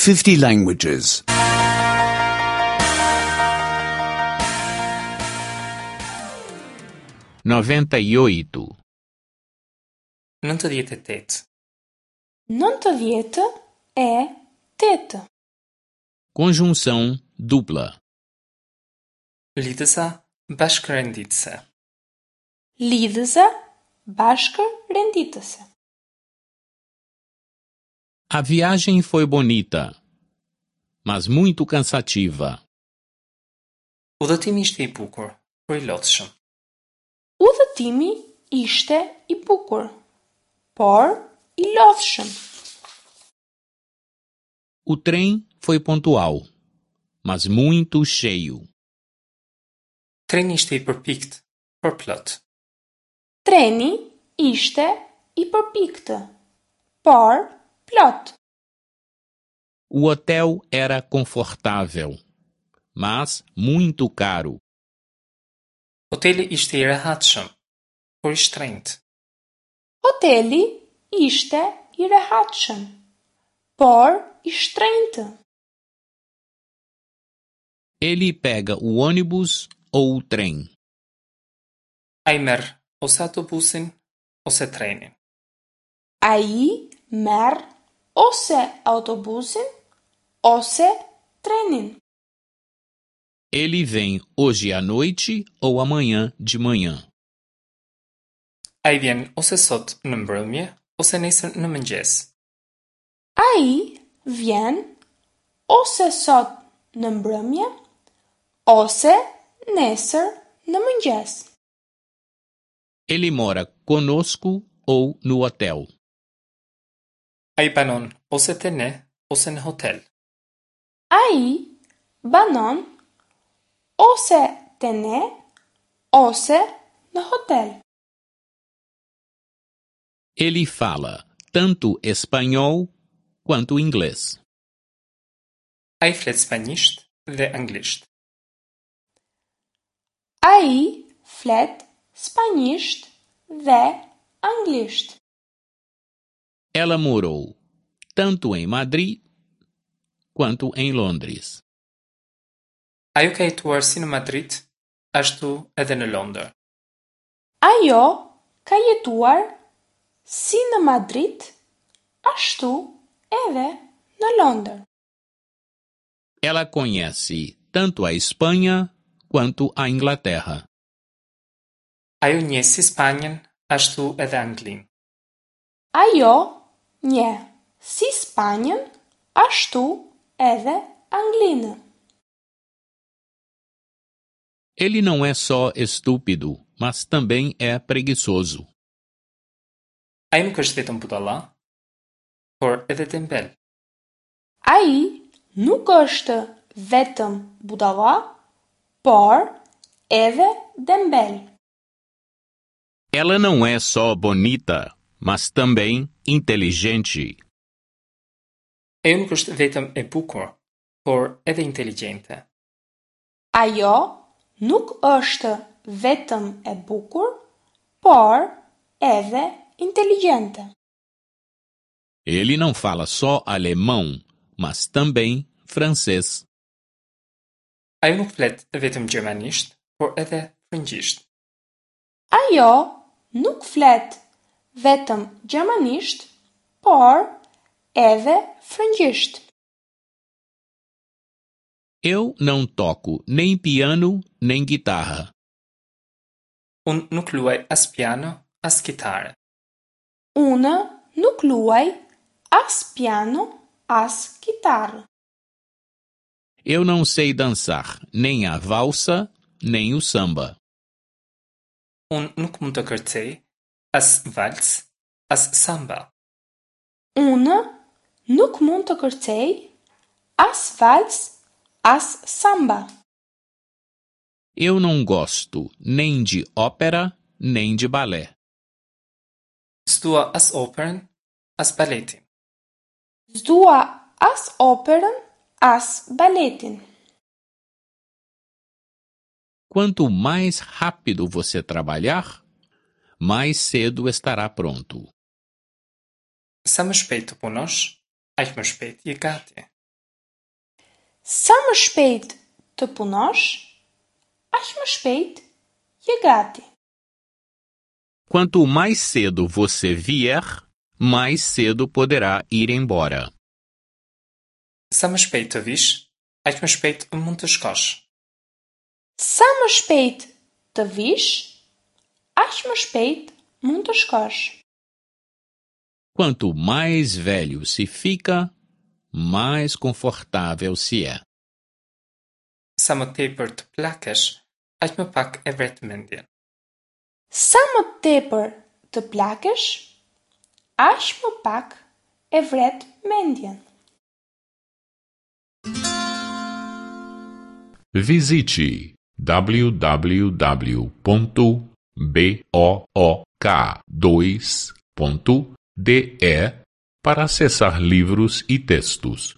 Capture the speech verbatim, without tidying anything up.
fifty languages. noventa e oito, Nëntëdhjetë e tetë. Nëntëdhjetë e tetë. Conjunção dupla. Lidhëza bashkërenditëse. Lidhëza bashkërenditëse. A viagem foi bonita, mas muito cansativa. Udhëtimi ishte i bukur, por i lodhshëm. Udhëtimi ishte i bukur, por i lodhshëm. O trem foi pontual, mas muito cheio. Treni ishte i përpiktë, por plot. Treni ishte i përpiktë, por plot. O hotel era confortável, mas muito caro. Hoteli ishte i rehatshëm, por i shtrenjtë. Hoteli ishte i rehatshëm, por i shtrenjtë. Ele pega o ônibus ou o trem. Ai merr ose autobusin ose trenin. Ai merr ose autobusin ose trenin. Ele vem hoje à noite ou amanhã de manhã. Ai vjen ose sot në mbrëmje ose nesër në mëngjes. Ai vjen ose sot në mbrëmje ose nesër në mëngjes. Ele mora conosco ou no hotel. Ai banon ose te ne ose në hotel. Ai banon ose te ne ose në hotel. Ele fala tanto espanhol quanto inglês. Ai flet spanjisht dhe anglisht. Ai flet spanjisht dhe anglisht. Ela morou tanto em Madrid quanto em Londres. Ajo ka jetuar si në Madrid, ashtu edhe në Londër. Ajo ka jetuar si në Madrid, ashtu edhe në Londër. Ela conhece tanto a Espanha quanto a Inglaterra. Ajo njeh si Spanjën, ashtu edhe Anglinë. Ajo njeh si Spanjën, ashtu edhe Anglinë. Ele não é só estúpido, mas também é preguiçoso. Ai nuk është vetëm budalla, por edhe dembel. Ai nuk është vetëm budalla, por edhe dembel. Ela não é só bonita, mas também inteligente. Ajo nuk është vetëm e bukur, por edhe inteligjente. Ajo nuk është vetëm e bukur, por edhe inteligjente. Ele não fala só alemão, mas também francês. Ajo nuk flet vetëm gjermanisht, por edhe frëngjisht. Ajo nuk flet vetëm gjermanisht, por edhe frëngjisht. Eu não toco nem piano nem guitarra. Unë nuk luaj as piano, as kitarë. Unë nuk luaj as piano, as kitarë. Eu não sei dançar nem a valsa, nem o samba. Unë nuk mund të kërcej as vals, as samba. Unë nuk mund të kërcej as vals, as samba. Eu não gosto nem de ópera, nem de balé. S'dua as operën, as baletin. S'dua as operën, as baletin. Quanto mais rápido você trabalhar, mais cedo estará pronto. Sa më shpejt të punosh, aq më shpejt je gati. Sa më shpejt të punosh, aq më shpejt je gati. Quanto mais cedo você vier, mais cedo poderá ir embora. Sa më shpejt të vish, aq më shpejt mund të shkosh. Sa më shpejt të vish, aq më shpejt mund të shkosh. Quanto mais velho se fica, mais confortável se é. Sa më tepër të plakesh, aq më pak e vret mendjen. Sa më tepër të plakesh, aq më pak e vret mendjen. Visite w w w ponto b o o k dois ponto d e para acessar livros e textos.